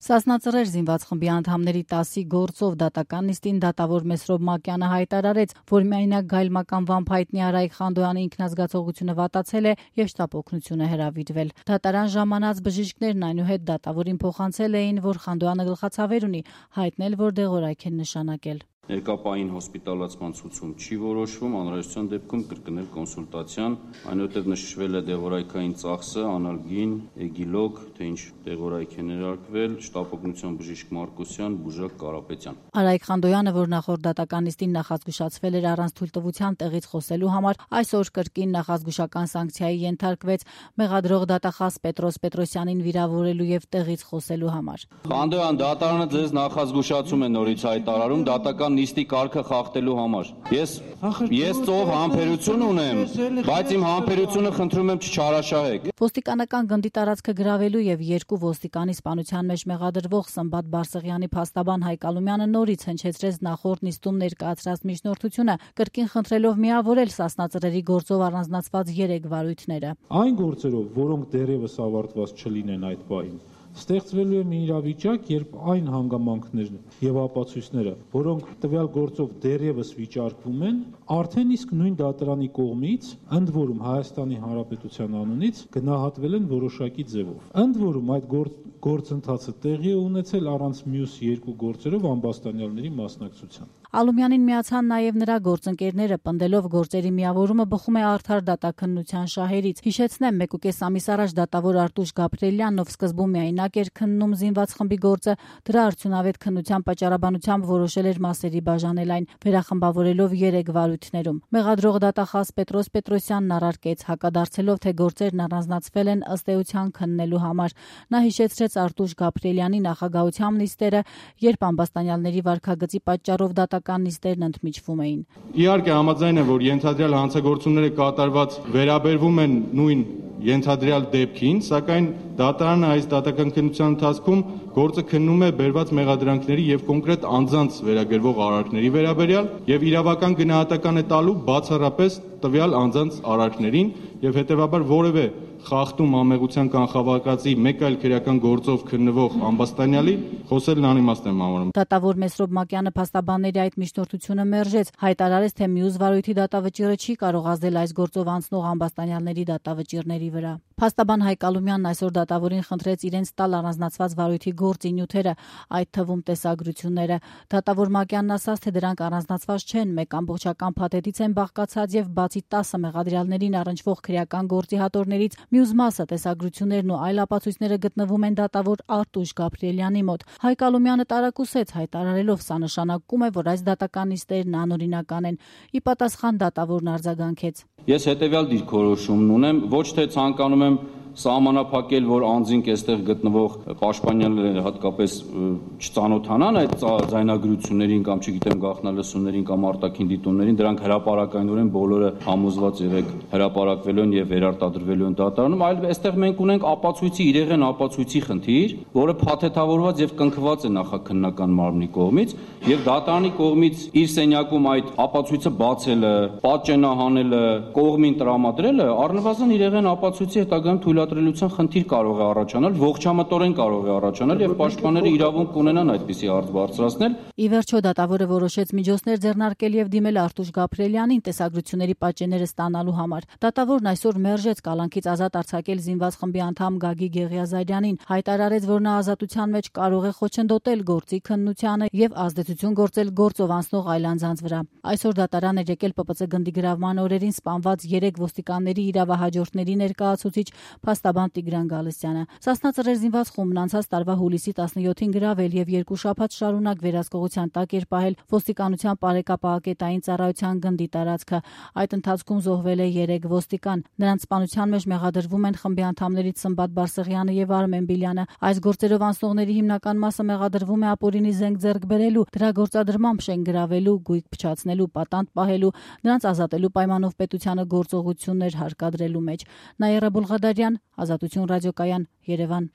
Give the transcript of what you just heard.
Սասնածռեր զինված խմբի անդամների 10-ի գործով դատական նիստին դատավոր Մեսրոբ Մակյանը հայտարարեց, որ միայնակ գայլմական վամբ հայտնի Արայիկ Խանդոյանի ինքնազգացողությունը վատացել է եւ շտապ օգնություն է հրավիրվել։ Դատարան ժամանած բժիշկներն այնուհետ դատավորին փոխանցել էին, որ Խանդոյանը գլխացավեր ունի, հայտնել, որ դեղորայք են նշանակել։ Ներկապային հոսպիտալացման ցուցում չի որոշվում, անհրաժեշտության դեպքում կրկնել կոնսուլտացիան, այնուհետև նշվել է դեղորայքային ծախսը, անալգին, էգիլոգ, թե ինչ դեղորայք է ներարկվել, շտապ օգնության բժիշկ Մարկոսյան, բուժակ Կարապետյան։ Արայիկ Խանդոյանը, որ նախորդ դատական նիստին նախազգուշացվել էր առանց թույլտվության տեղից խոսելու համար, այսօր կրկին նախազգուշական սանկցիայի ենթարկվեց մեղադրող դատախազ Պետրոս Պետրոսյանին վիրավորելու եւ տեղից խոսելու համար։ Խանդոյան, դատարանը ձեզ նախազգուշացում է նորից հայտարարում դատական նիստի կարգը խախտելու համար։ Ես ծով համբերություն ունեմ, բայց իմ համբերությունը խնդրում եմ չչարաշահեք։ Ոստիկանական գնդի տարածքը գրավելու եւ երկու ոստիկանի սպանության մեջ մեղադրվող Սմբատ Բարսեղյանի փաստաբան Հայկ Ալումյանը նորից հնչեցրեց նախորդ նիստում ներկայացրած միջնորդությունը, կրկին խնդրելով միավորել սասնածռերի գործով առանձնացված 3 վարույթները։ Այն գործերով, որոնք դեռևս ավարտված չլինեն այդ պահին, ստեղծվելու է մի իրավիճակ, երբ այն հանգամանքներն եւ ապացույցները, որոնք տվյալ գործով դեռևս վիճարկվում են, արդեն իսկ նույն դատարանի կողմից, ընդ որում Հայաստանի Հանրապետության անունից գնահատվել են որոշակի ձևով։ Ընդ որում այդ գործընթացը տեղի է ունեցել առանց մյուս 2 գործերով ամբաստանյալների մասնակցության։ Ալումյանին միացան նաև նրա գործընկերները, պնդելով գործերի միավորումը բխում է արդար դատաքննության շահերից։ Հիշեցնեմ, 1.5 ամիս առաջ դատավոր Արտուշ Գաբրիելյանն, ով սկզբում միայնակ էր քննում զինված խմբի գործը, դրա արդյունավետ քննության պատճառաբանությամբ որոշել էր մասերի բաժանել այն, վերախմբավորելով 3 վարույթներում։ Մեղադրող դատախազ Պետրոս Պետրոսյանն առարկեց, հակադարձելով, թե գործերն առանձնացվել են ըստ էության քննելու համար։ Նա հիշեցրեց Արտուշ Գաբրիելյանի նախագահությամբ նիստերը, երբ ամբաստանյալների վարքագծի պատճառով դատական նիստերն ընդմիջվում էին։ Իհարկե համաձայն եմ, որ ենթադրյալ հանցագործությունները կատարված վերաբերվում են նույն ենթադրյալ դեպքին, սակայն դատարանը այս դատական քննության ընթացքում գործը քննում է բերված մեղադրանքների եւ կոնկրետ անձանց վերագրվող արարքների վերաբերյալ եւ իրավական գնահատական է տալու բացառապես տվյալ անձանց արարքներին եւ հետեւաբար որևէ խախտում ամեղության կանխավարկածի մեկ այլ քրեական գործով քննվող ամբաստանյալի խոսելն անիմաստ եմ համարում։ Դատավոր Մեսրոբ Մակյանը փաստաբանների այդ միջնորդությունը մերժեց, հայտարարեց, թե մյուս վարույթի դատավճիռը չի կարող ազդել այս գործով անցնող ամբաստանյալների դատավճիռների վրա։ Փաստաբան Հայկ Ալումյանն այսօր դատավորին խնդրեց իրենց տալ առանձնացված վարույթի գործի նյութերը, այդ թվում տեսագրությունները։ Դատավոր Մակյանն ասաց, թե դրանք առանձնացված չեն, մեկ ամբողջական փաթեթից են բաղկացած եւ բացի 10 մեղադրյալներին առնչվող քրեական գործի հատորներից մյուս մասը տեսագրություններն ու այլ ապացույցները գտնվում են դատավոր Արտուշ Գաբրիելյանի մոտ։ Հայկ Ալումյանը տարակուսեց, հայտարարելով, սա նշանակում է, որ այս դատական նիստերն անօրինական են։ Ի պատասխան դատավորն արձագանքեց. Ես հետեւյալ դիրքորոշումն ունեմ, ոչ թե ցանկանում եմ սահմանափակել, որ անձինք այստեղ գտնվող պաշտպանյալները հատկապես չծանոթանան այդ ձայնագրություններին կամ չգիտեմ գաղտնալսումներին կամ արտաքին դիտումներին, դրանք հրապարակայնորեն բոլորը համոզված եղեք հրապարակվելու են եւ վերարտադրվելու են դատարանում, այլ այստեղ մենք ունենք ապացույցի իրեղեն ապացույցի խնդիր, որը փաթեթավորված եւ կնքված է նախաքննական մարմնի կողմից եւ դատարանի կողմից իր սենյակում այդ ապացույցը բացելը, պատճենահանելը, կողմին տրամադրելը առնվազն իրեղեն ապացույցի հետագայում թույլատրելիության խնդիր կարող է առաջանալ, ողջամտորեն կարող է առաջանալ եւ պաշտպանները իրավունք կունենան այդպիսի հարց բարձրացնել։ Ի վերջո դատավորը որոշեց միջոցներ ձեռնարկել եւ դիմել Արտուշ Գաբրիելյանին տեսագրությունների պատճենները ստանալու համար։ Դատավորն այսօր մերժեց կալանքից ազատ արձակել զինված խմբի անդամ Գագիկ Եղիազարյանին, հայտարարեց, որ նա ազատության մեջ կարող է խոչընդոտել գործի քննությանը եւ ազդեցություն գործել գործով անցնող այլ անձանց վրա։ Այսօր դատարան էր եկել ՊՊՑ գնդի գրավման օրերին սպանված 3 ոստիկանների իրավահաջորդների ներկայացուցիչ փաստաբան Տիգրան Գալստյանը։ Սասնածռեր զինված խումբն անցած տարվա հուլիսի 17-ին գրավել եւ 2 շաբաթ շարունակ վերահսկողության տակ էր պահել ոստիկանության պարեկապահակետային ծառայության գնդի տարածքը։ Այդ ընթացքում զոհվել է 3 ոստիկան։ Նրանց սպանության մեջ մեղադրվում են խմբի անդամներից Սմբատ Բարսեղյանը եւ Արմեն Բիլյանը։ Այս գործերով անցնողների հիմնական մասը մեղադրվում է ապօրինի զենք ձեռք բերելու, դրա գործադրմամբ շենք գրավելու, գույք փչացնելու, պատանդ պահելու, նրանց ազատելու պայմանով պետությանը գործողություններ հարկադրելու մեջ։ Նաիրա Բուլղադարյան, Ազատություն ռադիոկայան, Երևան։